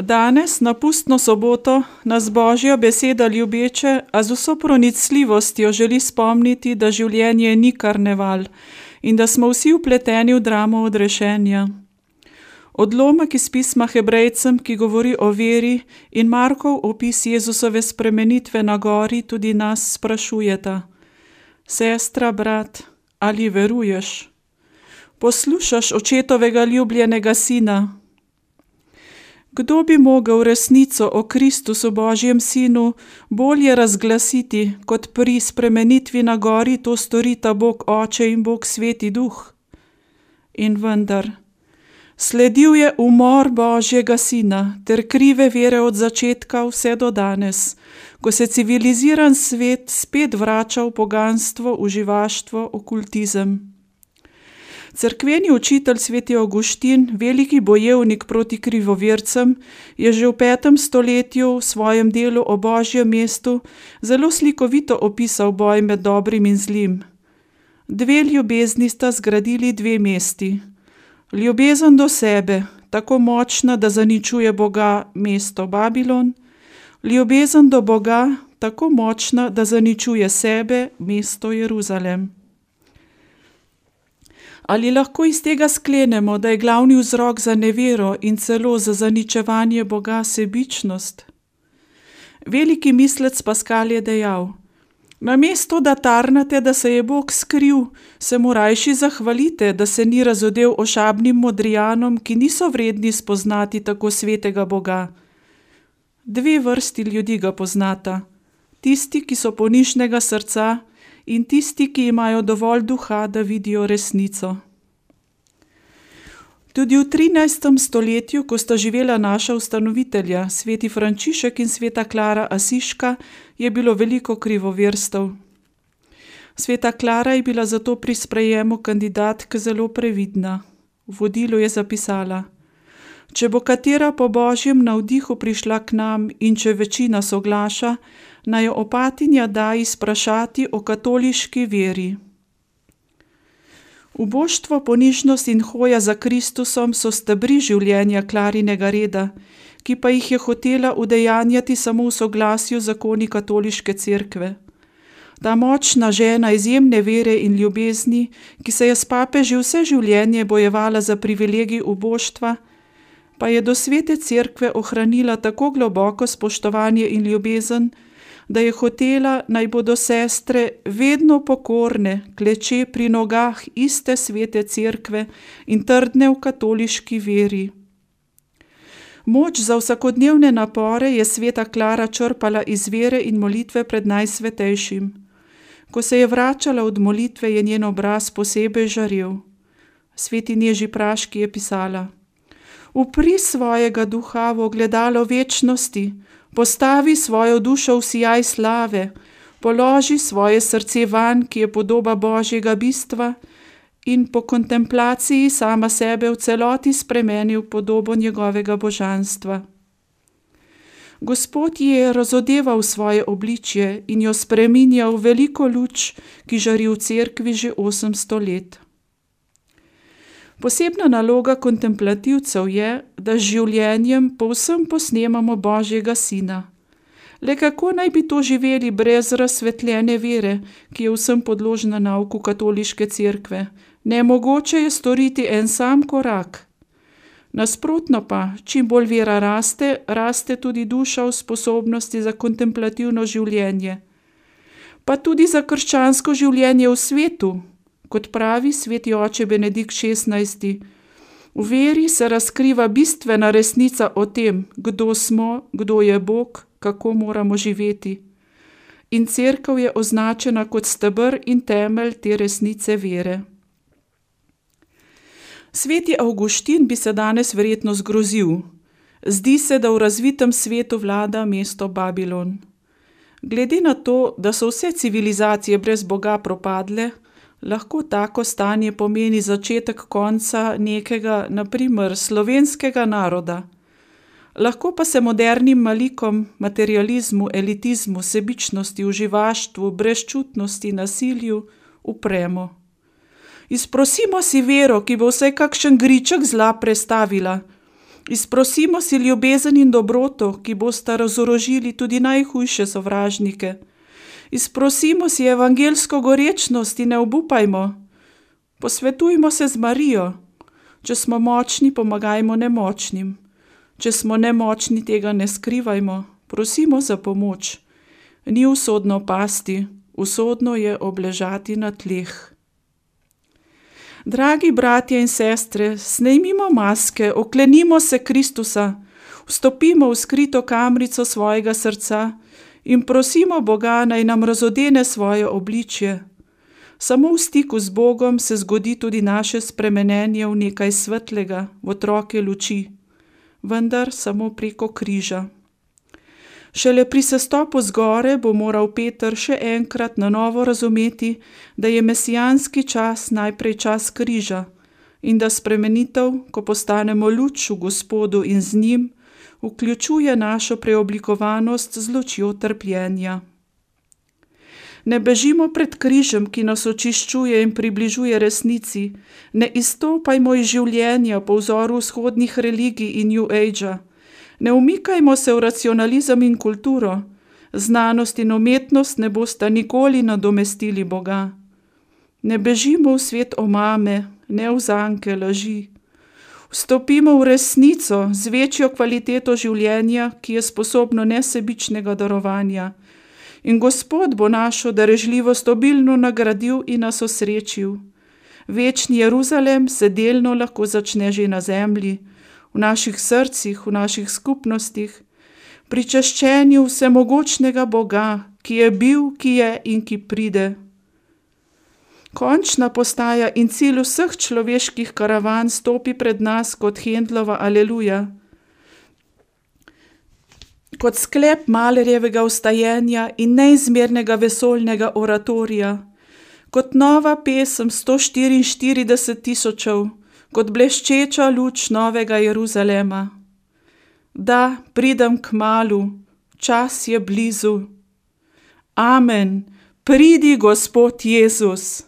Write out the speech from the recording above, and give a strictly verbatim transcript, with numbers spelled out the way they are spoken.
Danes, na pustno soboto, nas Božja beseda ljubeče, a z vso pronicljivostjo želi spomniti, da življenje ni karneval in da smo vsi vpleteni v dramo odrešenja. Odlomek iz pisma Hebrejcem, ki govori o veri, in Markov opis Jezusove spremenitve na gori tudi nas sprašujeta. Sestra, brat, ali veruješ? Poslušaš očetovega ljubljenega sina? Kdo bi mogel resnico o Kristusu Božjem sinu bolje razglasiti, kot pri spremenitvi na gori to storita Bog Oče in Bog Sveti Duh? In vendar, sledil je umor Božjega sina ter krive vere od začetka vse do danes, ko se civiliziran svet spet vrača v poganstvo, uživaštvo, okultizem. Cerkveni učitelj sveti Avguštin, veliki bojevnik proti krivovercem, je že v petem stoletju v svojem delu o Božjem mestu zelo slikovito opisal boj med dobrim in zlim. Dve ljubezni sta zgradili dve mesti. Ljubezen do sebe, tako močna, da zaničuje Boga, mesto Babilon, ljubezen do Boga, tako močna, da zaničuje sebe, mesto Jeruzalem. Ali lahko iz tega sklenemo, da je glavni vzrok za nevero in celo za zaničevanje Boga sebičnost? Veliki mislec Paskal je dejal: namesto da tarnate, da se je Bog skril, se mu rajši zahvalite, da se ni razodel ošabnim modrijanom, ki niso vredni spoznati tako svetega Boga. Dve vrsti ljudi ga poznata, tisti, ki so ponižnega srca, in tisti, ki imajo dovolj duha, da vidijo resnico. Tudi v trinajstem stoletju, ko sta živela naša ustanovitelja, sveti Frančišek in sveta Klara Asiška, je bilo veliko krivoverstev. Sveta Klara je bila zato pri sprejemu kandidatk zelo previdna. V vodilu je zapisala: če bo katera po Božjem navdihu prišla k nam in če večina soglaša, naj jo opatinja da izprašati o katoliški veri. Uboštvo, ponižnost in hoja za Kristusom so stebri življenja Klarinega reda, ki pa jih je hotela udejanjati samo v soglasju zakoni katoliške cerkve. Ta močna žena izjemne vere in ljubezni, ki se je s papeži vse življenje bojevala za privilegij uboštva, pa je do svete cerkve ohranila tako globoko spoštovanje in ljubezen, da je hotela, naj bodo sestre vedno pokorne, kleče pri nogah iste svete cerkve in trdne v katoliški veri. Moč za vsakodnevne napore je sveta Klara črpala iz vere in molitve pred Najsvetejšim. Ko se je vračala od molitve, je njen obraz posebej žarel. Sveti Neži Praški je pisala: upri svojega duha v ogledalo večnosti, postavi svojo dušo v sijaj slave, položi svoje srce vanj, ki je podoba Božjega bistva, in po kontemplaciji sama sebe v celoti spremeni v podobo njegovega božanstva. Gospod ji je razodeval svoje obličje in jo spreminjal v veliko luč, ki žari v cerkvi že osemsto let. Posebna naloga kontemplativcev je, da z življenjem povsem posnemamo Božjega sina. Le kako naj bi to živeli brez razsvetljene vere, ki je vsem podložna nauku katoliške cerkve? Nemogoče je storiti en sam korak. Nasprotno pa, čim bolj vera raste, raste tudi duša v sposobnosti za kontemplativno življenje. Pa tudi za krščansko življenje v svetu. Kot pravi sveti oče Benedikt šestnajsti, v veri se razkriva bistvena resnica o tem, kdo smo, kdo je Bog, kako moramo živeti. In cerkev je označena kot steber in temelj te resnice vere. Sveti Avguštin bi se danes verjetno zgrozil. Zdi se, da v razvitem svetu vlada mesto Babilon. Glede na to, da so vse civilizacije brez Boga propadle, lahko tako stanje pomeni začetek konca nekega, na primer, slovenskega naroda. Lahko pa se modernim malikom, materializmu, elitizmu, sebičnosti, uživaštvu, brezčutnosti, nasilju upremo. Izprosimo si vero, ki bo vsaj kakšen griček zla prestavila. Izprosimo si ljubezen in dobroto, ki bosta razorožili tudi najhujše sovražnike. Izprosimo si evangelsko gorečnost in ne obupajmo. Posvetujmo se z Marijo. Če smo močni, pomagajmo nemočnim. Če smo nemočni, tega ne skrivajmo. Prosimo za pomoč. Ni usodno pasti, usodno je obležati na tleh. Dragi bratje in sestre, snejmimo maske, oklenimo se Kristusa, vstopimo v skrito kamrico svojega srca in prosimo Boga, naj nam razodene svoje obličje. Samo v stiku z Bogom se zgodi tudi naše spremenjenje v nekaj svetlega, v otroke luči, vendar samo preko križa. Šele pri sestopu z gore bo moral Peter še enkrat na novo razumeti, da je mesijanski čas najprej čas križa in da spremenitev, ko postanemo luč v Gospodu in z njim, vključuje našo preoblikovanost z lučjo trpljenja. Ne bežimo pred križem, ki nas očiščuje in približuje resnici, ne izstopajmo iz življenja po vzoru vzhodnih religij in New Age-a. Ne umikajmo se v racionalizem in kulturo, znanost in umetnost ne bosta nikoli nadomestili Boga. Ne bežimo v svet omame, ne v zanke laži. Vstopimo v resnico z večjo kvaliteto življenja, ki je sposobno nesebičnega darovanja. In Gospod bo našo darežljivost obilno nagradil in nas osrečil. Večni Jeruzalem se delno lahko začne že na zemlji, v naših srcih, v naših skupnostih, pri čaščenju vsemogočnega Boga, ki je bil, ki je in ki pride. Končna postaja in cilj vseh človeških karavan stopi pred nas kot Händlova Aleluja. Kot sklep Mahlerjevega vstajenja in neizmernega vesoljnega oratorija, kot nova pesem sto štiriinštirideset tisočev, kot bleščeča luč novega Jeruzalema. Da, pridem kmalu, čas je blizu. Amen, pridi Gospod Jezus.